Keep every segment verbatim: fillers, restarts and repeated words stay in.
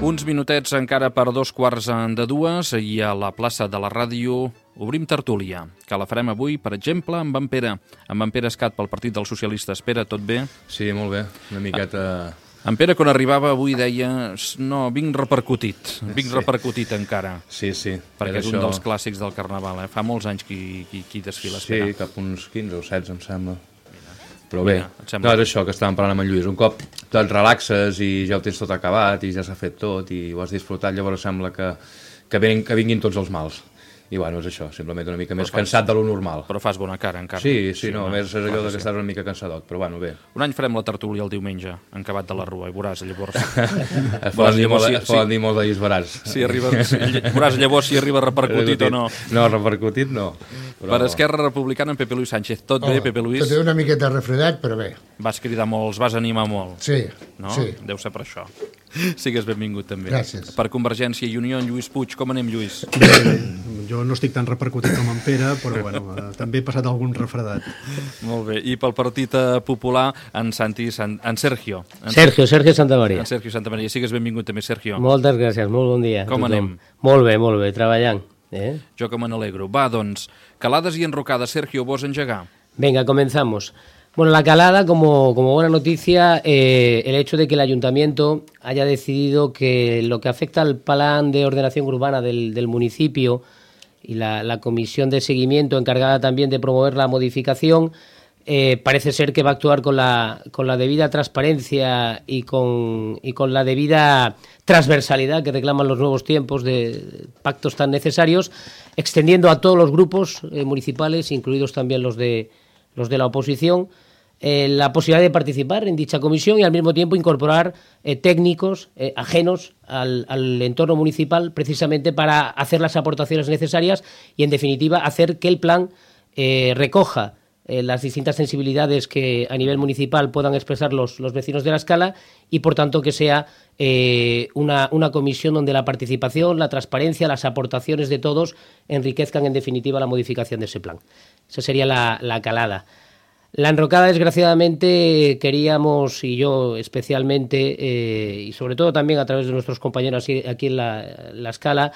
Uns minutets encara per dos quarts de dues i a la plaça de la ràdio obrim tertúlia, que la farem avui, per exemple, amb en Pere, amb en Pere Escat pel Partit dels Socialistes. Pere, tot bé? Sí, molt bé, una miqueta... En Pere, quan arribava avui, deia no, vinc repercutit, vinc sí. repercutit encara. Sí, sí. Perquè és això... un dels clàssics del Carnaval, eh? Fa molts anys qui, qui, qui desfila. Sí, Pere. Cap uns quinze o setze, em sembla. Però bé, Mira, no, és això que estàvem parlant amb en Lluís. Un cop te'n relaxes i ja ho tens tot acabat i ja s'ha fet tot i ho has disfrutat, llavors sembla que, que, vinguin, que vinguin tots els mals. I bueno, és això, simplement una mica més fas, cansat de lo normal. Però fas bona cara encara. Sí, sí, sí no, no, més és allò que estàs una mica cansadot, però bueno, bé. Un any farem la tertúlia el diumenge, en Cabat de la Rua, i veuràs llavors... es poden dir, molt, si, es poden dir molt de disbarats. Si arriba, si, veuràs llavors si arriba repercutit o no. No, repercutit no. Però... Per Esquerra Republicana, en Pepe Luis Sánchez. Tot oh, bé, Pepe Luis? Tot bé, una miqueta refredat, però bé. Vas cridar molt, els vas animar molt. Sí, no? sí. Deu ser per això. Sigues benvingut també. Gràcies. Per Convergència i Unió, en Lluís Puig. Com anem, Lluís? Bé, bé. Jo no estic tan repercutit com en Pere, però bueno, eh, també he passat algun refredat. Molt bé. I pel Partit Popular, en Santi, San... en Sergio. En Sergio, Sergio Santamaría. En Sergio Santamaría. Sigues benvingut també, Sergio. Moltes gràcies, molt bon dia. Com anem? Molt bé, molt bé, treballant. ¿Eh? Jo que me n'alegro. Va, doncs, calades i enrocades. Sergio, vos engegar? Venga, comenzamos. Bueno, la calada, como, como buena noticia, eh, el hecho de que el ayuntamiento haya decidido que lo que afecta al plan de ordenación urbana del, del municipio y la, la comisión de seguimiento encargada también de promover la modificación, eh, parece ser que va a actuar con la, con la debida transparencia y con, y con la debida transversalidad que reclaman los nuevos tiempos de pactos tan necesarios, extendiendo a todos los grupos eh, municipales, incluidos también los de, los de la oposición, Eh, la posibilidad de participar en dicha comisión y al mismo tiempo incorporar eh, técnicos eh, ajenos al, al entorno municipal precisamente para hacer las aportaciones necesarias y en definitiva hacer que el plan eh, recoja eh, las distintas sensibilidades que a nivel municipal puedan expresar los, los vecinos de la Escala y por tanto que sea eh, una, una comisión donde la participación, la transparencia, las aportaciones de todos enriquezcan en definitiva la modificación de ese plan. Esa sería la, la calada. La enrocada, desgraciadamente, queríamos, y yo especialmente, eh, y sobre todo también a través de nuestros compañeros aquí en la, la Escala,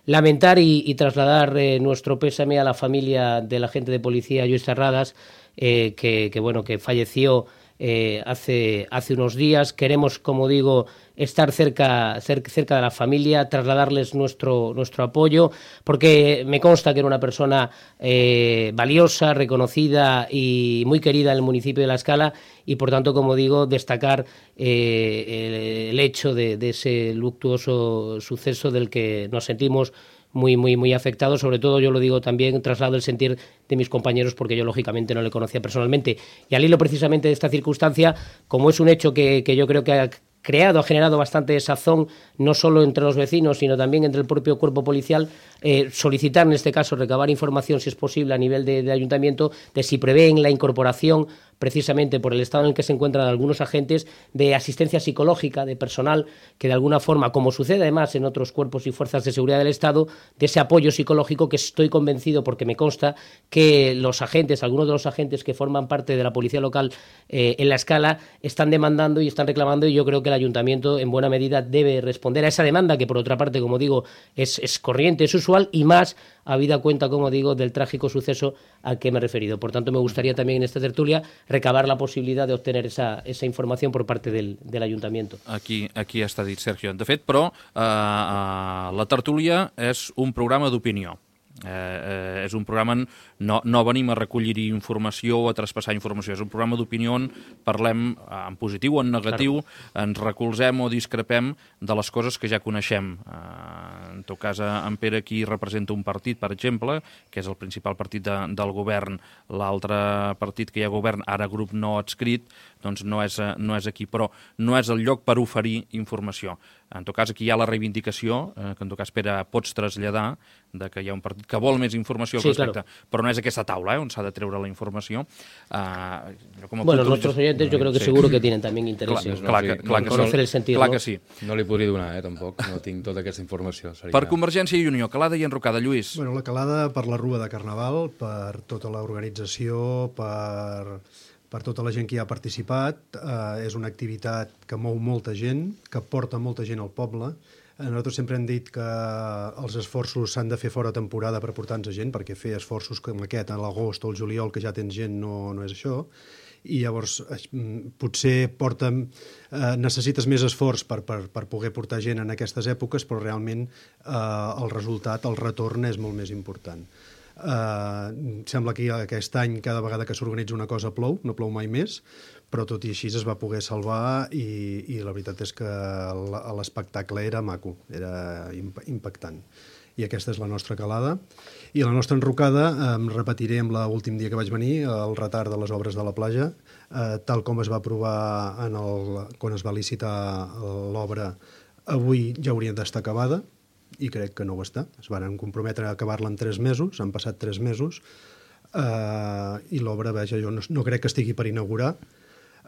lamentar y, y trasladar eh, nuestro pésame a la familia del agente de policía Lluís Terradas, eh, que, que, bueno, que falleció eh, hace, hace unos días. Queremos, como digo, estar cerca, cerca, cerca de la familia, trasladarles nuestro, nuestro apoyo, porque me consta que era una persona eh, valiosa, reconocida y muy querida en el municipio de La Escala y, por tanto, como digo, destacar eh, el, el hecho de, de ese luctuoso suceso del que nos sentimos muy, muy, muy afectados. Sobre todo, yo lo digo también, traslado el sentir de mis compañeros, porque yo, lógicamente, no le conocía personalmente. Y al hilo, precisamente, de esta circunstancia, como es un hecho que, que yo creo que ha creado, ha generado bastante desazón, no solo entre los vecinos, sino también entre el propio cuerpo policial, eh, solicitar, en este caso, recabar información, si es posible, a nivel de, de ayuntamiento, de si prevén la incorporación, precisamente por el estado en el que se encuentran algunos agentes, de asistencia psicológica, de personal, que de alguna forma, como sucede además en otros cuerpos y fuerzas de seguridad del Estado, de ese apoyo psicológico que estoy convencido, porque me consta, que los agentes, algunos de los agentes que forman parte de la policía local eh, en La Escala, están demandando y están reclamando, y yo creo que el ayuntamiento en buena medida debe responder a esa demanda, que por otra parte, como digo, es, es corriente, es usual, y más habida cuenta, como digo, del trágico suceso al que me he referido. Por tanto, me gustaría también en esta tertulia recabar la posibilidad de obtener esa, esa información por parte del, del ayuntamiento. Aquí, aquí està dit, Sergio. De fet, però, eh, eh, la tertúlia és un programa d'opinió. Eh, eh, és un programa, no, no venim a recollir informació o a traspassar informació, és un programa d'opinió on parlem en positiu o en negatiu, ens recolzem o discrepem de les coses que ja coneixem. Eh, tot cas, en Pere aquí representa un partit, per exemple, que és el principal partit de, del govern. L'altre partit que hi ha govern, ara grup no adscrit, doncs no és, no és aquí, però no és el lloc per oferir informació. En tot cas, aquí hi ha la reivindicació, eh, que en tot cas, Pere, pots traslladar, de que hi ha un partit que vol més informació al sí, respecte, claro. Però no és aquesta taula eh, on s'ha de treure la informació. Uh, com bueno, nuestros oyentes yo creo que sí. seguro que tienen también interés clar, en clar, que, clar, no, conocer no, el sentir. Clar ¿no? que sí. No li podria donar, eh, tampoc, no tinc tota aquesta informació. Seria... Per Convergència i Unió, calada i enrocada, Lluís. Bueno, la calada per la Rua de Carnaval, per tota l'organització, per, per tota la gent que hi ha participat. Eh, és una activitat que mou molta gent, que porta molta gent al poble. Nosaltres sempre hem dit que els esforços s'han de fer fora temporada per portar-nos gent, perquè fer esforços com aquest a l'agost o al juliol, que ja tens gent, no, no és això. I llavors potser porta, eh, necessites més esforç per, per, per poder portar gent en aquestes èpoques, però realment eh, el resultat, el retorn és molt més important. Eh, sembla que aquest any cada vegada que s'organitza una cosa plou, no plou mai més, però tot i així es va poder salvar i, i la veritat és que l'espectacle era maco, era impactant. I aquesta és la nostra calada. I la nostra enrocada, em repetiré amb l'últim dia que vaig venir, el retard de les obres de la platja, eh, tal com es va aprovar en el, quan es va licitar l'obra, avui ja hauria d'estar acabada, i crec que no ho està. Es van comprometre a acabar-la en tres mesos, han passat tres mesos, eh, i l'obra, veja, jo no, no crec que estigui per inaugurar.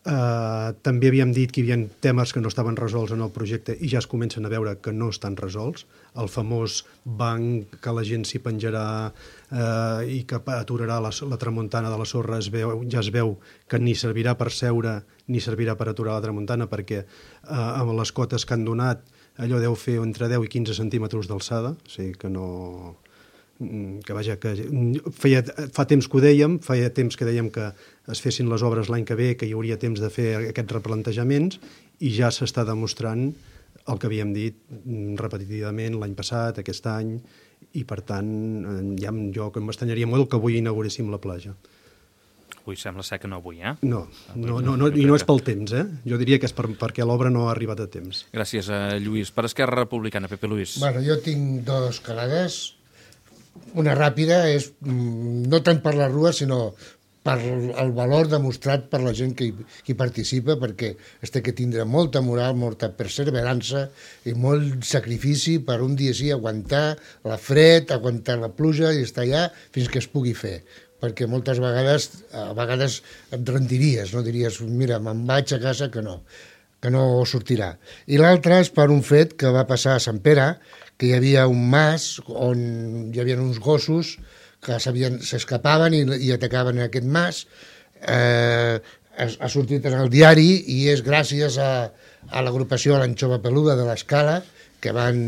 Uh, també havíem dit que hi havia temes que no estaven resolts en el projecte i ja es comencen a veure que no estan resolts. El famós banc que la gent s'hi penjarà uh, i que aturarà la, la tramuntana de la sorra, es veu, ja es veu que ni servirà per seure ni servirà per aturar la tramuntana, perquè uh, amb les cotes que han donat allò deu fer entre deu i quinze centímetres d'alçada, o sigui que no... que vaja, que feia, fa temps que ho dèiem, feia temps que dèiem que es fessin les obres l'any que ve, que hi hauria temps de fer aquests replantejaments, i ja s'està demostrant el que havíem dit repetitivament l'any passat, aquest any, i per tant, ja, jo que m'estanyaria molt que avui inauguréssim la platja. Avui sembla ser que no avui, eh? No, no, no, no i no és pel temps, eh? Jo diria que és per, perquè l'obra no ha arribat a temps. Gràcies, eh, Lluís. Per Esquerra Republicana, Pepe Luis. Bueno, jo tinc dos calades. Una ràpida és no tant per la Rua, sinó per el valor demostrat per la gent que hi, que hi participa, perquè es té que tindre molta moral, molta perseverança i molt sacrifici per un dia sí aguantar la fred, aguantar la pluja i estar allà fins que es pugui fer. Perquè moltes vegades, a vegades et rendiries, no? Diries, mira, me'n vaig a casa, que no, que no sortirà. I l'altre és per un fet que va passar a Sant Pere, que hi havia un mas on hi havia uns gossos que s'escapaven i, i atacaven aquest mas. Eh, ha, ha sortit en el diari i és gràcies a, a l'agrupació l'Anxova Peluda de l'Escala que van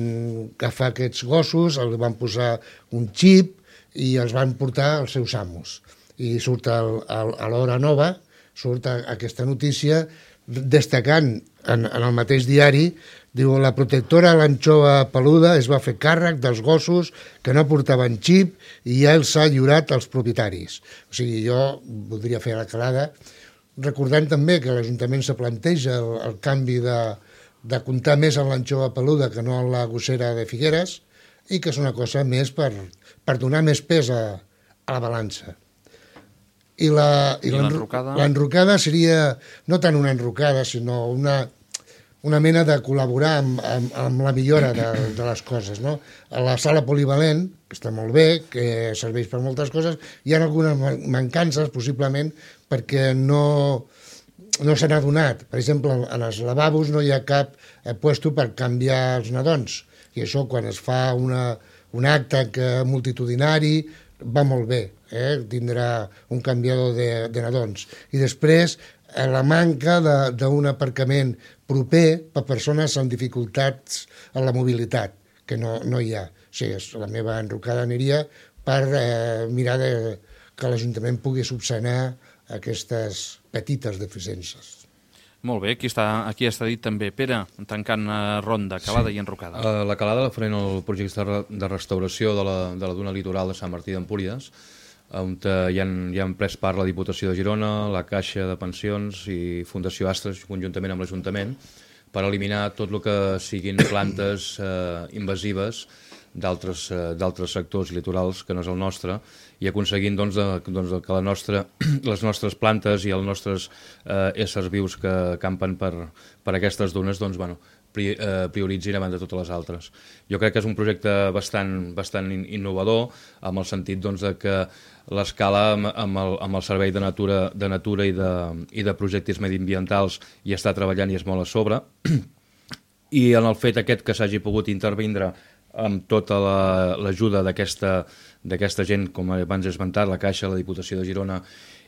agafar aquests gossos, els van posar un xip i els van portar als seus amos. I surt el, el, a l'Hora Nova, surt aquesta notícia destacant en, en el mateix diari, diu, la protectora l'Anxova Peluda es va fer càrrec dels gossos que no portaven xip i ja els ha lliurat als propietaris. O sigui, jo voldria fer la calada, recordant també que l'Ajuntament se planteja el, el canvi de, de comptar més en l'Anxova Peluda que no en la gossera de Figueres, i que és una cosa més per, per donar més pes a, a la balança. I la, i l'enrocada? L'enrocada seria no tant una enrocada, sinó una, una mena de col·laborar amb, amb, amb la millora de, de les coses, no? A la sala polivalent, que està molt bé, que serveix per moltes coses, hi ha algunes mancances, possiblement, perquè no, no se n'ha donat. Per exemple, en els lavabos no hi ha cap eh, puesto per canviar els nadons, i això quan es fa una, un acte que, multitudinari va molt bé, eh? Tindrà un canviador de, de nadons. I després, eh, la manca d'un aparcament proper per persones amb dificultats en la mobilitat, que no, no hi ha. O sigui, la meva enrocada aniria per eh, mirar de, que l'Ajuntament pugui subsanar aquestes petites deficiències. Molt bé, aquí està, aquí està dit també. Pere, tancant uh, ronda, calada sí. i enrocada. Uh, la calada la farem el projecte de restauració de la, de la duna litoral de Sant Martí d'Empúries, on hi han, hi han pres part la Diputació de Girona, la Caixa de Pensions i Fundació Astres, conjuntament amb l'Ajuntament, per eliminar tot el que siguin plantes eh, invasives d'altres uh, sectors litorals que no és el nostre, i aconseguint doncs, de, doncs, que la nostra, les nostres plantes i els nostres uh, éssers vius que campen per, per aquestes dunes doncs, bueno, prioritzin abans de totes les altres. Jo crec que és un projecte bastant, bastant innovador, amb el sentit doncs, de que l'escala amb, amb, el, amb el Servei de Natura, de natura i, de, i de projectes mediambientals hi està treballant i és molt a sobre, i en el fet aquest que s'hagi pogut intervindre amb tota l'ajuda la, d'aquesta d'aquesta gent, com abans he esmentat, la Caixa, la Diputació de Girona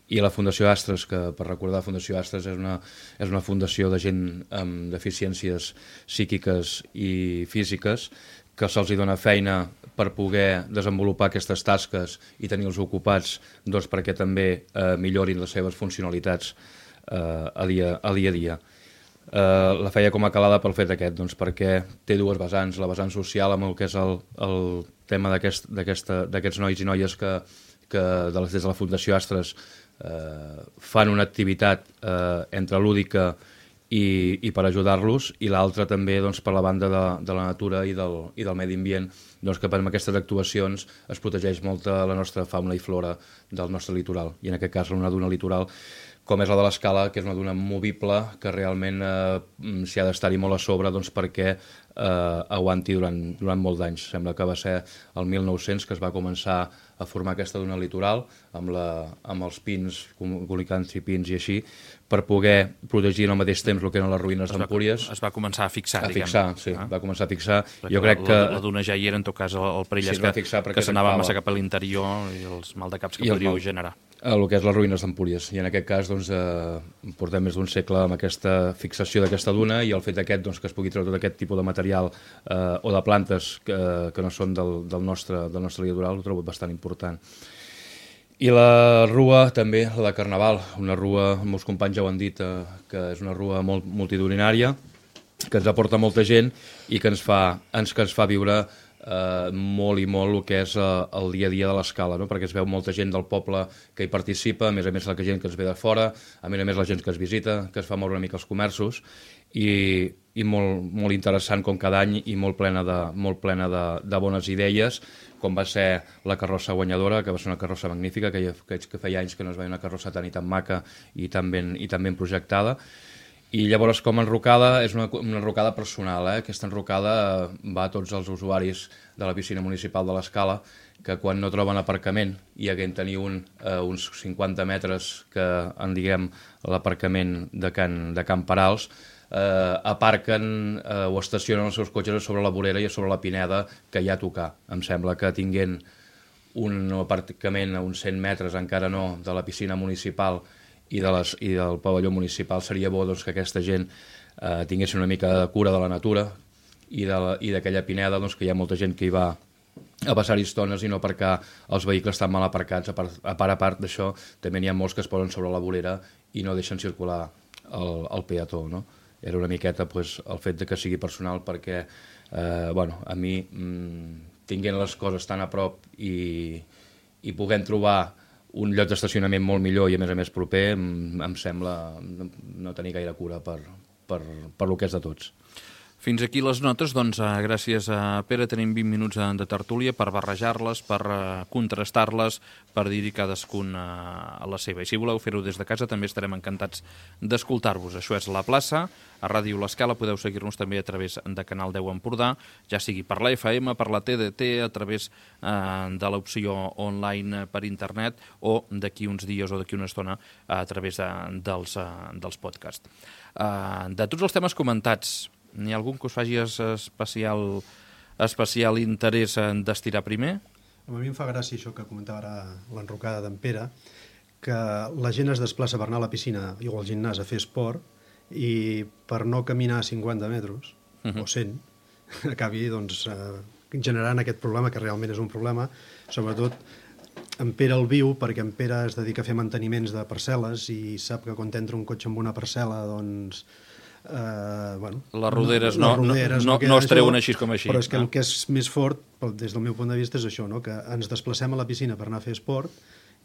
i la Fundació Astres, que per recordar, la Fundació Astres és una, és una fundació de gent amb deficiències psíquiques i físiques, que se'ls dona feina per poder desenvolupar aquestes tasques i tenir-los ocupats doncs, perquè també eh, millorin les seves funcionalitats eh, a, dia, a dia a dia. Eh, la feia com a calada pel fet aquest, doncs, perquè té dues vessants, la vessant social amb el que és el, el tema d'aquests aquest, nois i noies que, que de les, des de la Fundació Astres Eh, fan una activitat eh, entre lúdica i, i per ajudar-los, i l'altra també doncs, per la banda de, de la natura i del, i del medi ambient, doncs, que amb aquestes actuacions es protegeix molta la nostra fauna i flora del nostre litoral, i en aquest cas una duna litoral com és la de l'Escala, que és una duna movible que realment eh, s'hi ha d'estar-hi molt a sobre doncs, perquè eh, aguanti durant, durant molts d'anys. Sembla que va ser el mil nou-cents que es va començar a formar aquesta duna litoral amb, la, amb els pins, colicants i pins i així, per poder protegir al mateix temps el que eren les ruïnes d'Empúries. Es va començar a fixar, a diguem. fixar, sí, ah. va començar a fixar. Perquè jo crec la, que... La, la duna ja hi era, en tot cas, el, el perill sí, és que, que s'anava massa cap a l'interior i els maldecaps que podríeu generar. El que és les ruïnes d'Empúries, i en aquest cas doncs, eh, portem més d'un segle amb aquesta fixació d'aquesta duna, i el fet aquest doncs, que es pugui treure tot aquest tipus de material eh, o de plantes que, que no són del, del, nostre, del nostre litoral, ho trobo bastant important. I la rua també, la de Carnaval, una rua, molts companys ja ho han dit, eh, que és una rua molt multitudinària, que ens aporta molta gent i que ens fa, ens, que ens fa viure Uh, molt i molt el que és uh, el dia a dia de l'Escala, no? Perquè es veu molta gent del poble que hi participa, a més a més la gent que ens ve de fora, a més a més la gent que es visita, que es fa moure una mica els comerços, i, i molt, molt interessant com cada any, i molt plena, de, molt plena de, de bones idees, com va ser la carrossa guanyadora, que va ser una carrossa magnífica, que, que, que feia anys que no es veia una carrossa tan i tan maca i tan ben, i tan ben projectada. I llavors, com a enrocada, és una, una enrocada personal. Eh? Aquesta enrocada va a tots els usuaris de la piscina municipal de l'Escala, que quan no troben aparcament i haguem tenir un, eh, uns cinquanta metres que en diguem l'aparcament de Can, de Can Perals, eh, aparquen eh, o estacionen els seus cotxes sobre la vorera i sobre la pineda que hi ha a tocar. Em sembla que tinguent un aparcament a uns cent metres, encara no, de la piscina municipal i, de les, i del pavelló municipal, seria bo doncs, que aquesta gent eh, tingués una mica de cura de la natura i d'aquella pineda, doncs, que hi ha molta gent que hi va a passar estones i no aparcar els vehicles tan mal aparcats. A part a part, a part d'això, també n'hi ha molts que es posen sobre la vorera i no deixen circular el, el peató, no? Era una miqueta pues, el fet de que sigui personal, perquè eh, bueno, a mi, mmm, tinguent les coses tan a prop i, i puguem trobar un lloc d'estacionament molt millor i a més a més proper, em, em sembla no tenir gaire cura per, per, per lo que és de tots. Fins aquí les notes, doncs eh, gràcies a Pere tenim vint minuts de tertúlia per barrejar-les, per eh, contrastar-les, per dir-hi cadascun eh, a la seva. I si voleu fer-ho des de casa també estarem encantats d'escoltar-vos. Això és La Plaça, a Ràdio L'Escala, podeu seguir-nos també a través de Canal deu Empordà, ja sigui per la F M, per la T D T, a través eh, de l'opció online per internet o d'aquí uns dies o d'aquí una estona a través de, dels, eh, dels podcasts. Eh, de tots els temes comentats, n'hi ha algun que us faci especial, especial interès en d'estirar primer? A mi em fa gràcia això que comentava ara l'enrocada d'en Pere, que la gent es desplaça per anar a la piscina o al gimnàs a fer esport i per no caminar cinquanta metres, uh-huh. o cent, acabi doncs, eh, generant aquest problema, que realment és un problema, sobretot en Pere el viu, perquè en Pere es dedica a fer manteniments de parcel·les i sap que quan entra un cotxe amb una parcel·la, doncs... Uh, bueno, les roderes no, les roderes no, no, no es treuen així com així. Però és que no? El que és més fort, des del meu punt de vista, és això, no? Que ens desplacem a la piscina per anar a fer esport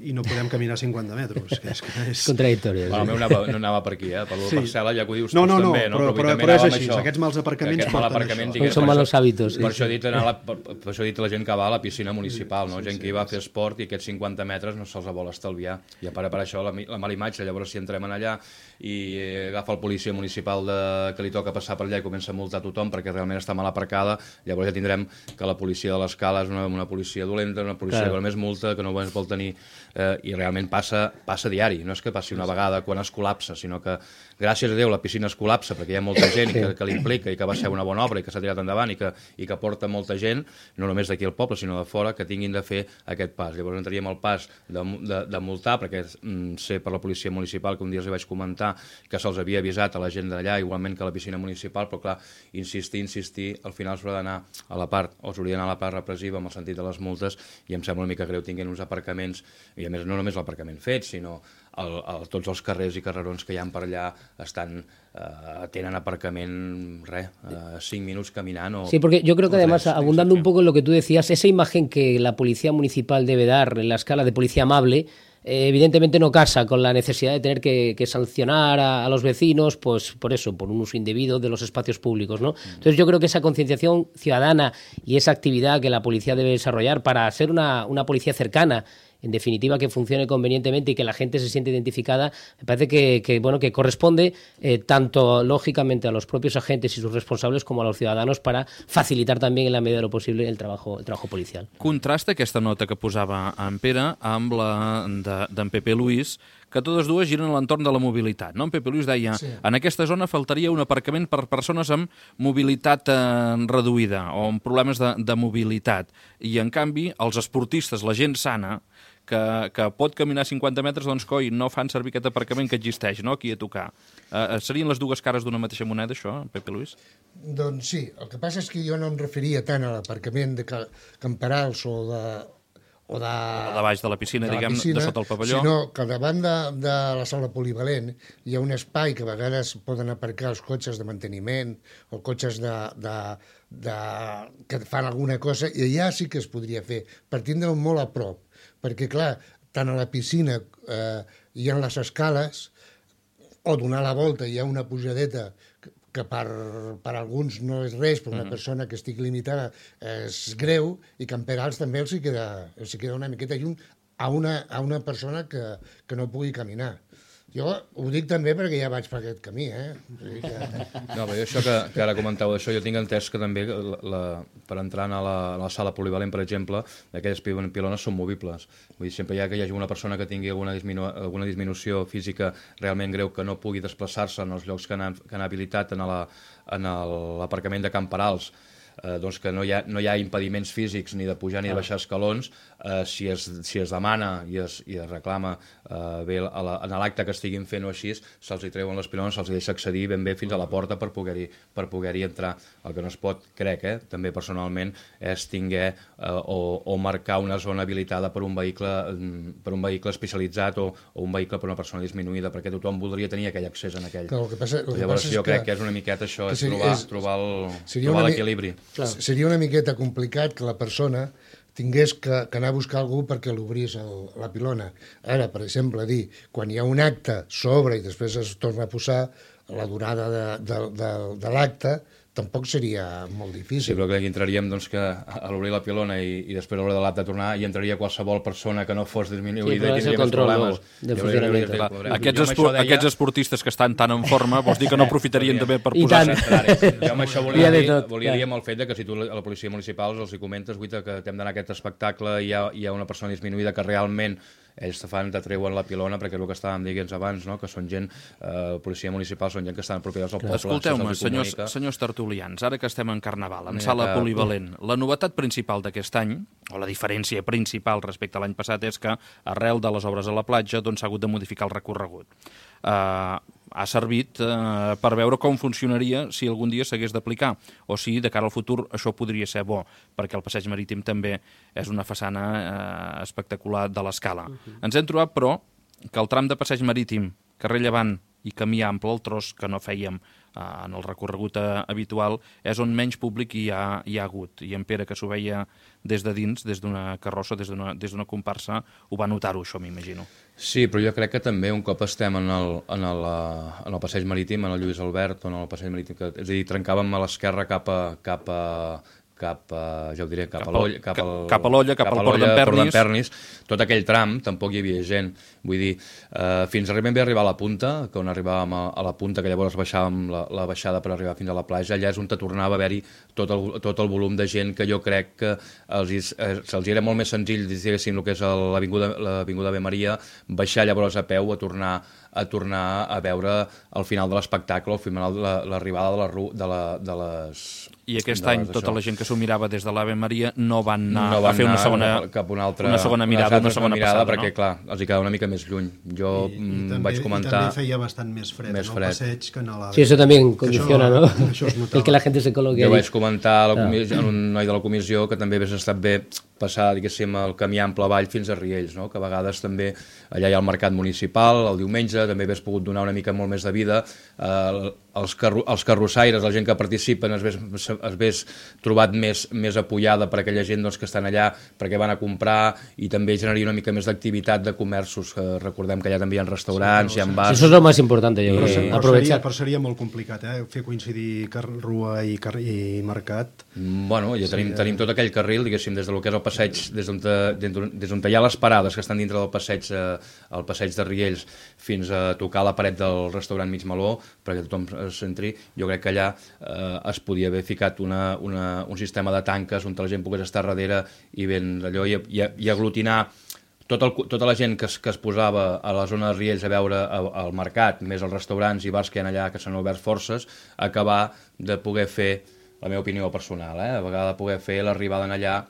i no podem caminar cinquanta metres. Que és, que és... Contradictori. Bueno, el meu anava, no anava per aquí, eh? Per la sí. parcel·la, ja que ho dius no, no, no, també, no? Però, però, però, però és així, aquests mals aparcaments aquest porten mal aparcament, això. Diguem, Són malos hàbitos. Per, això he dit la, per, per això he dit la gent que va a la piscina municipal, no? Gent que hi va a fer esport i aquests cinquanta metres no se'ls vol estalviar. I a part per això la, la mala imatge, llavors si entrem en allà i agafa el policia municipal de, que li toca passar per allà i comença a multar tothom perquè realment està mal aparcada, llavors ja tindrem que la policia de l'escala és una, una policia dolenta, una policia claro. que només multa, que no es vol tenir, eh, i realment passa, passa diari, no és que passi una vegada quan es col·lapsa, sinó que gràcies a Déu la piscina es col·lapsa perquè hi ha molta gent que, que l'implica i que va ser una bona obra i que s'ha tirat endavant i que, i que porta molta gent, no només d'aquí al poble sinó de fora, que tinguin de fer aquest pas. Llavors entraríem al pas de, de, de multar, perquè mm, sé per la policia municipal que un dia els vaig comentar que se'ls havia avisat a la gent d'allà, igualment que a la piscina municipal, però clar, insistir, insistir, al final s'haurà d'anar a la part, o s'hauria d'anar a la part repressiva amb el sentit de les multes, i em sembla una mica greu tinguin uns aparcaments, i a més no només l'aparcament fet, sinó el, el, tots els carrers i carrerons que hi ha per allà estan, eh, tenen aparcament, res, eh, cinc minuts caminant o... Sí, porque yo creo que además, abundando un poco en lo que tú decías, esa imagen que la policía municipal debe dar en la escala de policía amable, Eh, evidentemente no casa con la necesidad de tener que, que sancionar a, a los vecinos, pues por eso, por un uso indebido de los espacios públicos, ¿no? Entonces yo creo que esa concienciación ciudadana y esa actividad que la policía debe desarrollar para ser una, una policía cercana, en definitiva que funcione convenientemente y que la gente se siente identificada, me parece que, que, bueno, que corresponde eh, tanto lógicamente a los propios agentes y sus responsables como a los ciudadanos para facilitar también en la medida de lo posible el trabajo, el trabajo policial. Contrasta aquesta nota que posava en Pere amb la d'en Pepe Luis, que totes dues giren a l'entorn de la mobilitat. No? En Pepe Luis deia, sí. en aquesta zona faltaria un aparcament per persones amb mobilitat eh, reduïda o amb problemes de, de mobilitat. I, en canvi, els esportistes, la gent sana, que, que pot caminar cinquanta metres, doncs, coi, no fan servir aquest aparcament que existeix, no?, aquí a tocar. Eh, serien les dues cares d'una mateixa moneda, això, Pepe Luis? Doncs sí, el que passa és que jo no em referia tant a l'aparcament de camperals o de... o de, o de baix de la piscina, de la diguem, piscina, de sota el pavelló. Sinó que davant de, de la sala polivalent hi ha un espai que a vegades poden aparcar els cotxes de manteniment o cotxes de, de, de, que fan alguna cosa, i allà sí que es podria fer, per tindre'l molt a prop. Perquè, clar, tant a la piscina eh, hi ha les escales, o donar la volta hi ha una pujadeta que, que per, per alguns no és res, per una uh-huh. persona que estigui limitada és greu, i camperals també els hi queda, els hi queda una miqueta lluny a una, a una persona que, que no pugui caminar. Jo ho dic també perquè ja vaig per aquest camí, eh? Que... No, però això que, que ara comenteu d'això, jo tinc entès que també la, la, per entrar a la, a la sala polivalent, per exemple, aquelles pilones són movibles. Vull dir, sempre hi ha que hi hagi una persona que tingui alguna, disminu alguna disminució física realment greu que no pugui desplaçar-se en els llocs que han, que han habilitat en l'aparcament de camperals, eh, doncs que no hi, ha, no hi ha impediments físics ni de pujar ni de baixar escalons, eh, si, es, si es demana i es, i es reclama eh, bé a la, en l'acte que estiguin fent o així, se'ls hi treuen les pilones, se'ls hi deixa accedir ben bé fins a la porta per poder-hi per poder-hi entrar. El que no es pot, crec, eh, també personalment, és tinguer eh, o, o marcar una zona habilitada per un vehicle, per un vehicle especialitzat o, o un vehicle per una persona disminuïda, perquè tothom voldria tenir aquell accés en aquell. Clar, el que passa, el que Llavors passa jo és crec que, que és una miqueta això, és seria, trobar, és, trobar l'equilibri. Seria una miqueta complicat que la persona tingués que, que anar a buscar algú perquè l'obrís la pilona. Ara, per exemple, dir, quan hi ha un acte, s'obre i després es torna a posar, la durada de, de, de, de l'acte tampoc seria molt difícil. Sí, però crec que entraríem doncs, que a l'obrir la pilona i, i després a l'hora de l'acte tornar hi entraria qualsevol persona que no fos disminuïda sí, i tindria més problemes. No, funcionament. Aquests, espor deia... aquests esportistes que estan tan en forma, vols dir que no aprofitarien també per posar... Jo amb això volia, dir, volia dir amb el fet de que si tu a la policia municipal els hi comentes, guita, que hem d'anar a aquest espectacle i hi ha, hi ha una persona disminuïda que realment ells te fan, te treuen la pilona, perquè és el que estàvem dient abans, no? Que són gent, eh, policia municipal, són gent que estan propietats al poble. Escolteu-me, senyors, senyors tertulians, ara que estem en Carnaval, en sala que... polivalent, la novetat principal d'aquest any, o la diferència principal respecte a l'any passat, és que arrel de les obres a la platja doncs s'ha hagut de modificar el recorregut. Uh, ha servit uh, per veure com funcionaria si algun dia s'hagués d'aplicar, o si de cara al futur això podria ser bo, perquè el passeig marítim també és una façana uh, espectacular de l'escala. Uh-huh. Ens hem trobat, però, que el tram de passeig marítim, carrer Llevant, i camí ample, el tros que no fèiem eh, en el recorregut eh, habitual, és on menys públic hi ha, hi ha hagut. I en Pere, que s'ho veia des de dins, des d'una carrossa, des d'una des d'una comparsa, ho va notar-ho, això, m'imagino. Sí, però jo crec que també un cop estem en el, en el, en el passeig marítim, en el Lluís Albert, o en el passeig marítim, que, és a dir, trencàvem a l'esquerra cap a, cap a, cap a, ja ho diré, cap, cap a l'Olla, cap, al, cap a l'Olla, cap, cap al Port d'en Pernis, tot aquell tram tampoc hi havia gent, vull dir, eh, fins ben bé arribar a la punta, que on arribàvem a, a la punta, que llavors baixàvem la, la baixada per arribar fins a la platja, allà és on te tornava a haver-hi tot el, tot el volum de gent que jo crec que els, eh, se'ls era molt més senzill, diguéssim, el que és l'Avinguda Ave Maria, baixar llavors a peu a tornar a tornar a veure al final de l'espectacle, al final l'arribada de, la, de, la, de les... I aquest any tota això. La gent que s'ho mirava des de l'Ave Maria no van anar no van a fer una segona, cap una, altra, una segona mirada, una, una segona mirada, passada, perquè, no? clar, els hi quedava una mica més lluny. Jo I, i també, vaig comentar... I també feia bastant més fred, més no? fred. El passeig que en l'Ave. Sí, eso también condiciona, això, ¿no? Això el que la gente se coloque jo allí. vaig comentar a, la comissió, a un noi de la comissió que també hagués estat bé passar, diguéssim, el camí ample avall fins a Riells, no? Que a vegades també allà hi ha el mercat municipal, el diumenge, també hagués pogut donar una mica molt més de vida, eh, els, carro, els carrossaires, la gent que participen es hagués, es hagués trobat més, més apoyada per aquella gent doncs, que estan allà perquè van a comprar, i també generaria una mica més d'activitat de comerços, que recordem que allà també hi ha restaurants, sí, hi ha bars... Eso es lo más importante, yo creo, creo, sí. aprovechar. Però seria molt complicat, eh? Fer coincidir rua i, i mercat. Bueno, ja tenim, sí, tenim tot aquell carril, diguéssim, des del que és el passeig, des d'on des on hi ha les parades que estan dintre del passeig, eh, el passeig de Riells, fins a tocar la paret del restaurant Mig Meló, perquè tothom s'entri. Jo crec que allà eh, es podia haver ficat una, una, un sistema de tanques on la gent pogués estar darrere i ben allò, i, i, i aglutinar tot el, tota la gent que es, que es posava a la zona de Riells a veure el mercat, més els restaurants i bars que hi ha allà, que s'han obert forces, acabar de poder fer, la meva opinió personal, eh, a vegades poder fer l'arribada en allà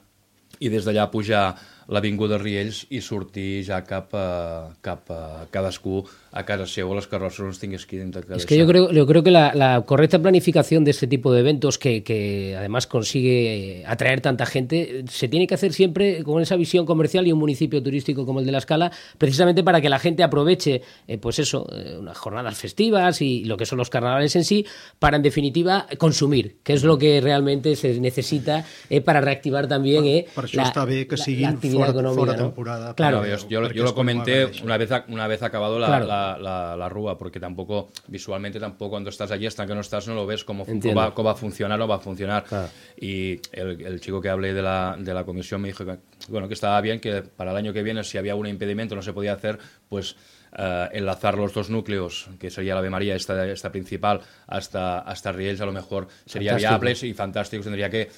i des d'allà pujar l'avinguda Riells y sortir ya cap a, cap a cadascú a casa seu o les carrosses on tingués que intentar. Es que yo creo, yo creo que la, la correcta planificación de este tipo de eventos que, que además consigue atraer tanta gente se tiene que hacer siempre con esa visión comercial y un municipio turístico como el de La Escala, precisamente para que la gente aproveche eh, pues eso, eh, unas jornadas festivas y lo que son los carnavales en sí, para en definitiva consumir, que es lo que realmente se necesita eh, para reactivar también eh, per, per això la, està bé que la, siguin la actividad fora, económica, fora ¿no? temporada. Claro. No, yo, yo, yo lo comenté una vez, una vez acabado la, claro. la, la, la rúa, porque tampoco, visualmente tampoco cuando estás allí, hasta que no estás, no lo ves cómo, cómo, va, cómo va a funcionar o va a funcionar. Claro. Y el, el chico que hablé de la, de la comisión me dijo que, bueno, que estaba bien, que para el año que viene, si había un impedimento, no se podía hacer, pues Uh, enlazar los dos núcleos, que sería la Ave María, esta, esta principal, hasta, hasta Riells, a lo mejor sería fantástico. Viable y fantástico. Tendría que,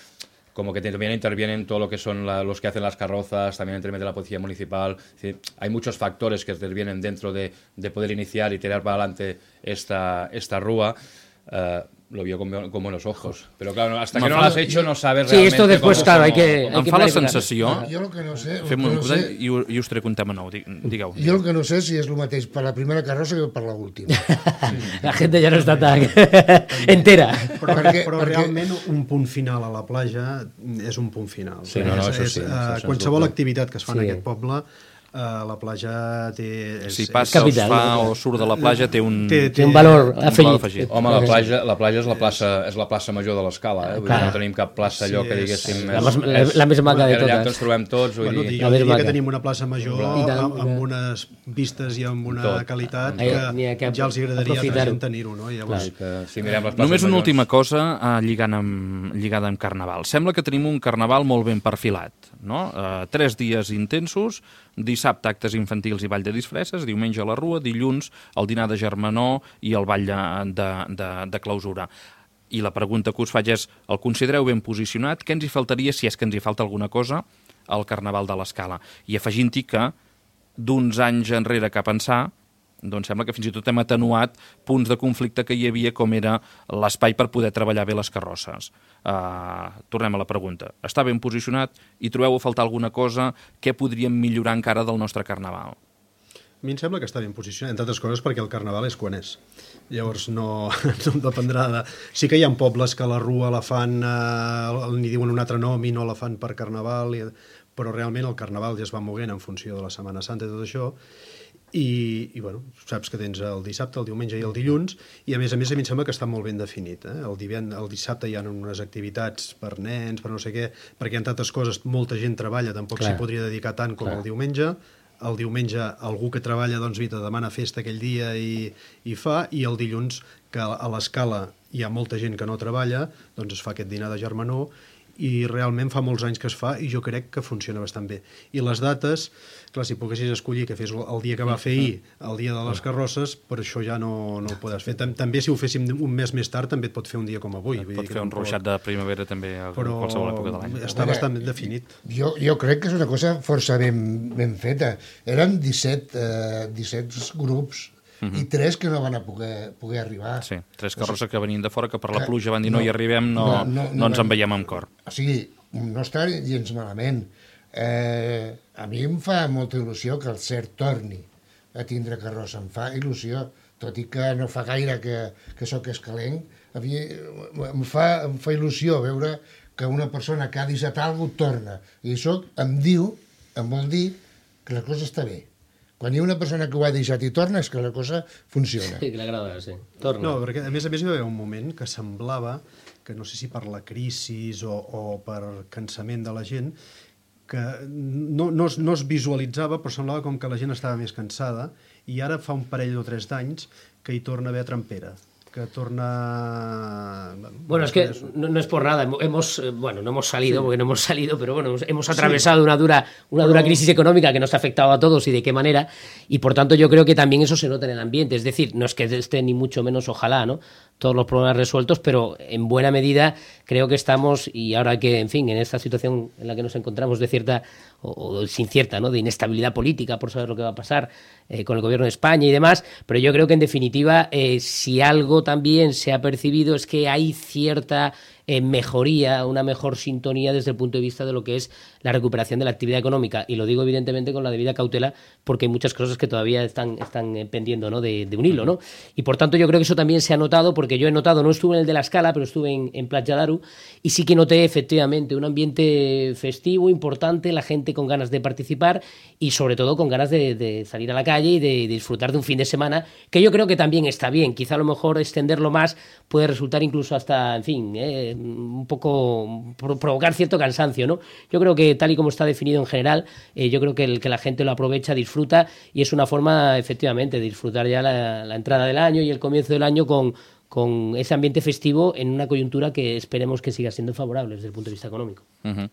como que también intervienen todo lo que son la, los que hacen las carrozas, también interviene la policía municipal. Es decir, hay muchos factores que intervienen dentro de, de poder iniciar y tirar para adelante esta, esta rúa. Uh, lo vio con, con buenos ojos. Pero claro, hasta que no lo has hecho no sabes sí, realmente esto después, cómo, claro, cómo, hay que... Em fa la sensació... Ah, jo el que no sé... Fem un no sé, i, i us trec un tema nou, digueu. Jo el que no sé si és el mateix per la primera carrossa que per l'última. La gente ja no està tan entera. Però, perquè, però perquè... realment un punt final a la platja és un punt final. Sí, no, no, això és, sí, és, això uh, qualsevol activitat que es fa sí. en aquest poble, Uh, la platja té... És, si passa o es fa o surt de la platja té un, té, té, té un valor un afegit. valor afegit. Home, la platja, la platja és la plaça, és la plaça major de l'Escala, eh? Vull dir, no tenim cap plaça allò Sí, que és- diguéssim... La és- més- la- és- la més maca de allà totes. que ens trobem tots, vull Bueno, dir... jo La més diria maca. que tenim una plaça major I tant, amb, amb unes vistes i amb una Tot. qualitat Ai, que, n'hi ha que ja els agradaria a altra aprofitar-ho. gent tenir-ho, no? Llavors, que si mirem les places Només una majors- última cosa eh, lligant amb, lligada amb Carnaval. Sembla que tenim un Carnaval molt ben perfilat, no? Eh, tres dies intensos, dissabte actes infantils i ball de disfresses, diumenge a la Rua, dilluns el dinar de germanor i el ball de, de, de, de clausura. I la pregunta que us faig és, el considereu ben posicionat? Què ens hi faltaria, si és que ens hi falta alguna cosa, al Carnaval de l'Escala? I afegint-hi que d'uns anys enrere cap a ençà, doncs sembla que fins i tot hem atenuat punts de conflicte que hi havia, com era l'espai per poder treballar bé les carrosses. Uh, tornem a la pregunta. Està ben posicionat i trobeu a faltar alguna cosa? Què podríem millorar encara del nostre Carnaval? a mi em sembla que està ben posicionat, entre altres coses perquè el Carnaval és quan és. Llavors no, no dependrà de... Sí que hi ha pobles que la Rua la fan, eh, n'hi diuen un altre nom i no la fan per Carnaval, i... però realment el Carnaval ja es va moguent en funció de la Setmana Santa i tot això. I, i bueno, saps que tens el dissabte, el diumenge i el dilluns, i a més a més a mi em sembla que està molt ben definit. Eh? El, divend, el dissabte hi ha unes activitats per nens, per no sé què, perquè hi ha tantes coses, molta gent treballa, tampoc s'hi podria dedicar tant com Clar. el diumenge. El diumenge algú que treballa doncs, vita, demana festa aquell dia i, i fa, i el dilluns, que a l'escala hi ha molta gent que no treballa, doncs es fa aquest dinar de germanor, i realment fa molts anys que es fa i jo crec que funciona bastant bé. I les dates, clar, si poguessis escollir que fes el dia que va fer ahir, el dia de les carrosses, per això ja no, no ho podràs fer. També si ho féssim un mes més tard també et pot fer un dia com avui. Et pot fer un ruixat de primavera també a però qualsevol època de l'any. Està bastant ben definit. Jo, jo crec que és una cosa força ben, ben feta. Eren disset, eh, disset grups Uh-huh. i tres que no van a poder, poder arribar. Sí, tres carrosses que venien de fora, que per la pluja van dir no, no hi arribem, no, no, no, no, no ens en veiem amb cor. O sigui, no està gens malament. Eh, a mi em fa molta il·lusió que el C E R torni a tindre carrossa. Em fa il·lusió, tot i que no fa gaire que, que sóc escalenc. A mi em fa, em fa il·lusió veure que una persona que ha deixat alguna cosa torna. I això em diu, em vol dir que la cosa està bé. Quan hi ha una persona que ho ha deixat i torna és que la cosa funciona. Sí, que l'agrada, sí. Torna. No, perquè a més a més hi va haver un moment que semblava que no sé si per la crisi o, o per cansament de la gent, que no, no, es, no es visualitzava, però semblava com que la gent estava més cansada, i ara fa un parell o tres d'anys que hi torna a haver trampera. que torna... Bueno, es que no, no es por nada, hemos, bueno, no hemos salido, sí. porque no hemos salido, pero bueno, hemos, hemos atravesado sí. una dura, una dura pero... crisis económica que nos ha afectado a todos y de qué manera, y por tanto yo creo que también eso se nota en el ambiente, es decir, no es que esté ni mucho menos, ojalá, ¿no?, todos los problemas resueltos, pero en buena medida creo que estamos, y ahora que, en fin, en esta situación en la que nos encontramos de cierta, o, o sin cierta, ¿no?, de inestabilidad política por saber lo que va a pasar eh, con el gobierno de España y demás, pero yo creo que en definitiva, eh, si algo también se ha percibido es que hay cierta eh, mejoría, una mejor sintonía desde el punto de vista de lo que es la recuperación de la actividad económica, y lo digo evidentemente con la debida cautela porque hay muchas cosas que todavía están, están eh, pendiendo, ¿no?, de, de un hilo, ¿no? Y por tanto yo creo que eso también se ha notado, porque yo he notado, no estuve en el de la Escala, pero estuve en, en Platja d'Aro, y sí que noté efectivamente un ambiente festivo, importante, la gente con ganas de participar y sobre todo con ganas de, de salir a la calle y de, de disfrutar de un fin de semana, que yo creo que también está bien. Quizá a lo mejor extenderlo más puede resultar incluso hasta, en fin, eh, un poco provocar cierto cansancio, ¿no? Yo creo que tal y como está definido en general, eh, yo creo que, el, que la gente lo aprovecha, disfruta, y es una forma efectivamente de disfrutar ya la, la entrada del año y el comienzo del año con, con ese ambiente festivo en una coyuntura que esperemos que siga siendo favorable desde el punto de vista económico. Uh-huh.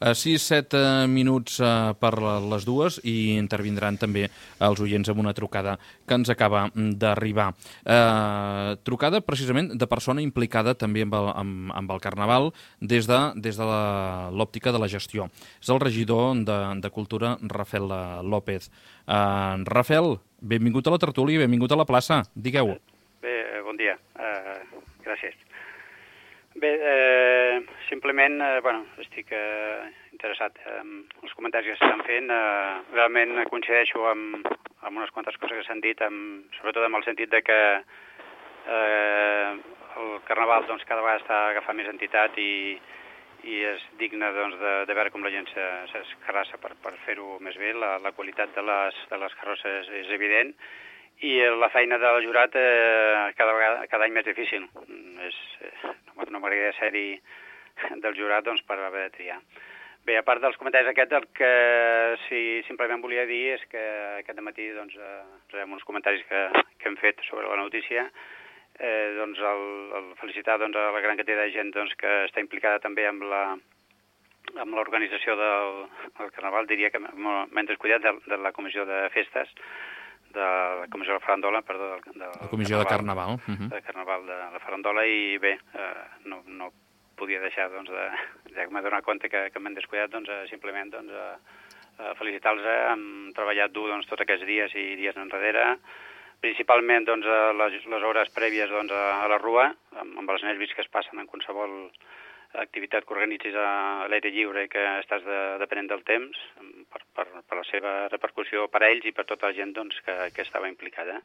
Uh, sis set uh, minuts uh, per les dues, i intervindran també els oients amb una trucada que ens acaba d'arribar. Uh, trucada precisament de persona implicada també amb el, amb, amb el Carnaval des de, des de l'òptica de la gestió. És el regidor de, de Cultura, Rafael López. Uh, Rafael, benvingut a la tertúlia, benvingut a la plaça. Digueu. Bé, bon dia. Uh, gràcies. Bé, eh, simplement, eh, bueno, estic eh, interessat en els comentaris que s'estan fent. Eh, realment coincideixo amb, amb unes quantes coses que s'han dit, amb, sobretot amb el sentit de que eh, el Carnaval doncs, cada vegada està agafant més entitat i, i és digne doncs, de, de veure com la gent s'escarrassa per, per fer-ho més bé. La, la qualitat de les, de les carrosses és, és evident, i la feina del jurat eh, cada, vegada, cada any més difícil. És, eh, no m'agradaria ser-hi del jurat doncs, per haver de triar. Bé, a part dels comentaris aquests, el que sí, simplement volia dir és que aquest matí doncs, eh, rebem uns comentaris que, que hem fet sobre la notícia, eh, doncs el, el felicitar doncs, a la gran quantitat de gent doncs, que està implicada també amb la amb l'organització del, del Carnaval, diria que m'he descuidat de, de la comissió de festes, de la comissió de la farandola, perdó, de, de la comissió Carnaval, de Carnaval, uh-huh. de Carnaval de la farandola, i bé, eh, no, no podia deixar, doncs, de, ja que m'he donat compte que, que m'he descuidat, doncs, eh, simplement, doncs, eh, felicitar-los, eh, hem treballat dur, doncs, tots aquests dies i dies enrere, principalment, doncs, les, les hores prèvies, doncs, a, a la Rua, amb, amb els nervis que es passen en qualsevol activitat que organitzis a l'aire lliure i que estàs de, depenent del temps, per, per, per la seva repercussió per a ells i per tota la gent doncs, que, que estava implicada.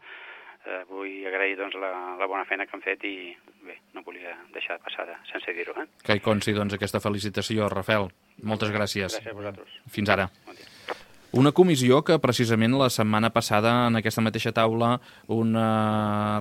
Eh, vull agrair doncs, la, la bona feina que han fet i bé, no volia deixar de passar sense dir-ho. Eh? Que hi consti doncs, aquesta felicitació, Rafael. Moltes gràcies. Gràcies a vosaltres. Fins ara. Bon dia. Una comissió que precisament la setmana passada en aquesta mateixa taula un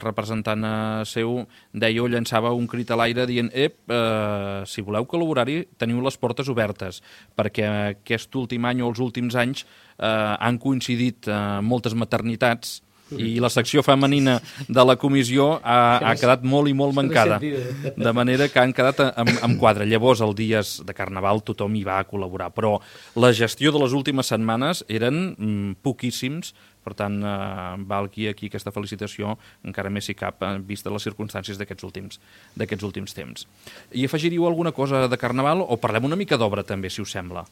representant seu deia o llançava un crit a l'aire dient ep, eh, si voleu col·laborar-hi teniu les portes obertes, perquè aquest últim any o els últims anys eh, han coincidit eh, moltes maternitats i la secció femenina de la comissió ha, ha quedat molt i molt mancada, de manera que han quedat en, en quadre. Llavors, els dies de Carnaval tothom hi va a col·laborar, però la gestió de les últimes setmanes eren mm, poquíssims, per tant, eh, valgui aquí aquesta felicitació, encara més si cap, eh, vista les circumstàncies d'aquests últims, d'aquests últims temps. I afegiríeu alguna cosa de Carnaval o parlem una mica d'obra també, si us sembla?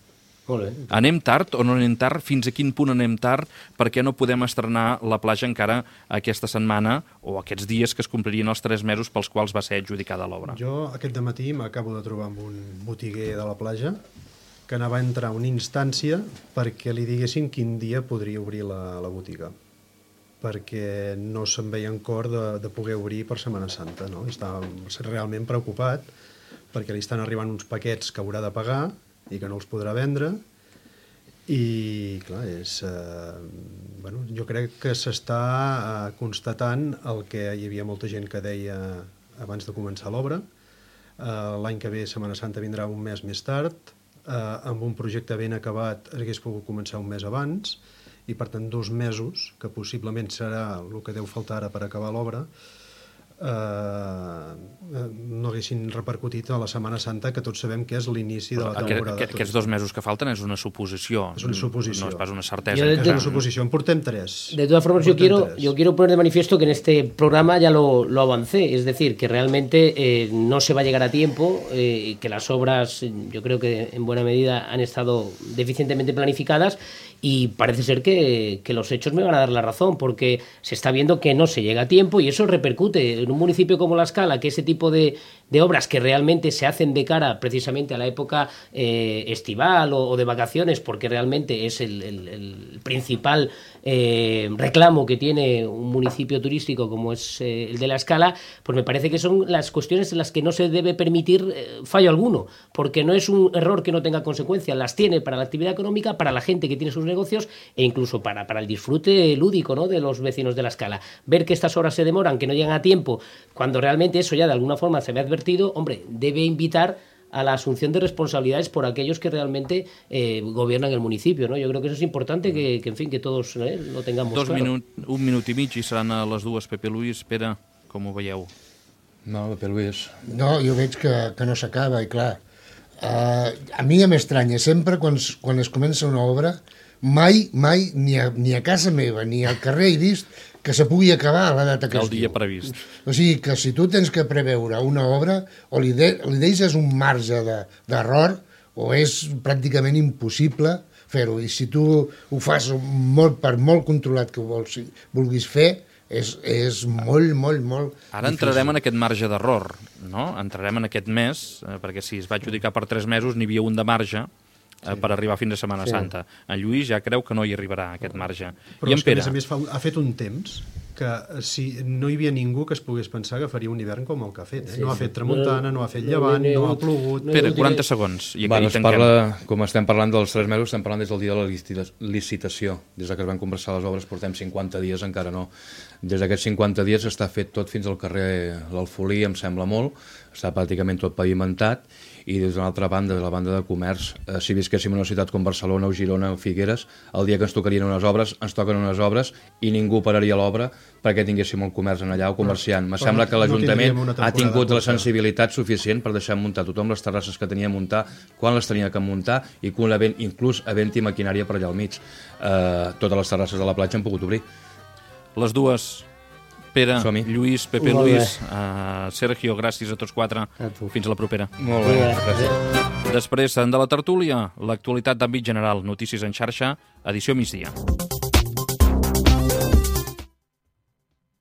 Anem tard o no anem tard? Fins a quin punt anem tard? Per què no podem estrenar la platja encara aquesta setmana o aquests dies que es complirien els tres mesos pels quals va ser adjudicada l'obra? Jo aquest dematí m'acabo de trobar amb un botiguer de la platja que anava a entrar una instància perquè li diguessin quin dia podria obrir la, la botiga, perquè no se'n veia en cor de, de poder obrir per Setmana Santa, no? Estava realment preocupat perquè li estan arribant uns paquets que haurà de pagar i que no els podrà vendre, i clar, és, eh, bueno, jo crec que s'està eh, constatant el que hi havia molta gent que deia abans de començar l'obra. Eh, l'any que ve Setmana Santa vindrà un mes més tard, eh, amb un projecte ben acabat hagués pogut començar un mes abans, i per tant dos mesos, que possiblement serà el que deu faltar ara per acabar l'obra, Uh, no haguessin repercutit a la Setmana Santa, que tots sabem que és l'inici de la temporada. Aquest, aquests dos mesos que falten és una suposició. És una suposició. No és pas una certesa. De, és una suposició. En portem tres. De todas formas, yo quiero, yo quiero poner de manifiesto que en este programa ya lo, lo avancé. Es decir, que realmente eh, no se va a llegar a tiempo, eh, que las obras, yo creo que en buena medida han estado deficientemente planificadas, y parece ser que, que los hechos me van a dar la razón, porque se está viendo que no se llega a tiempo y eso repercute en un municipio como La Escala, que ese tipo de, de obras que realmente se hacen de cara precisamente a la época eh, estival o, o de vacaciones, porque realmente es el, el, el principal eh, reclamo que tiene un municipio turístico como es eh, el de La Escala, pues me parece que son las cuestiones en las que no se debe permitir eh, fallo alguno, porque no es un error que no tenga consecuencias, las tiene para la actividad económica, para la gente que tiene sus negocios e incluso para, para el disfrute lúdico, ¿no?, de los vecinos de La Escala. Ver que estas obras se demoran, que no llegan a tiempo, cuando realmente eso ya de alguna forma se ve advertido, hombre, debe invitar a la asunción de responsabilidades por aquellos que realmente eh, gobiernan el municipio, ¿no? Yo creo que eso es importante, que, que en fin, que todos eh, lo tengamos Dos claro. Minut, un minut i mig i seran a les dues. Pepe Luis, Pere, com ho veieu? No, Pepe Luis. No, jo veig que, que no s'acaba, i clar, uh, a mi ja m'estranya, sempre quan, quan es comença una obra, mai, mai, ni a, ni a casa meva, ni al carrer he vist que se pugui acabar a la data que El es dia diu. previst. O sigui que si tu tens que preveure una obra, o li, de, li deixes un marge d'error, de, o és pràcticament impossible fer-ho. I si tu ho fas molt, per molt controlat que ho vols, vulguis fer, és, és molt, molt, molt Ara difícil. entrarem en aquest marge d'error, no? Entrarem en aquest mes, eh, perquè si es va adjudicar per tres mesos n'hi havia un de marge, Sí. per arribar fins a Setmana sí. Santa. En Lluís ja creu que no hi arribarà, aquest marge. Però I en és que, Pere? a més a més, fa, ha fet un temps que si no hi havia ningú que es pogués pensar que faria un hivern com el que ha fet. Eh? Sí, no ha fet tramuntana, no ha fet llevant, no ha plogut... Pere, quaranta segons. I bueno, es parla, com estem parlant dels tres mesos, estem parlant des del dia de la licitació. Des que es van conversar les obres portem cinquanta dies, encara no. Des d'aquests cinquanta dies està fet tot fins al carrer l'Alfolí, em sembla molt, està pràcticament tot pavimentat, i des d'una altra banda, de la banda de comerç, eh, si visquéssim en una ciutat com Barcelona o Girona o Figueres, el dia que ens tocarien unes obres, ens toquen unes obres i ningú pararia l'obra perquè tinguéssim el comerç en allà o comerciant. Me sembla que l'Ajuntament no ha tingut la sensibilitat suficient per deixar muntar tothom les terrasses que tenia a muntar, quan les tenia que muntar, i quan inclús havent-hi maquinària per allà al mig. Eh, totes les terrasses de la platja han pogut obrir. Les dues. Pere, Lluís, Pepe Molt Luis, uh, Sergio, gràcies a tots quatre. A tu. Fins a la propera. Molt bé, gràcies. Després de la tertúlia, l'actualitat d'àmbit general, notícies en xarxa, edició migdia.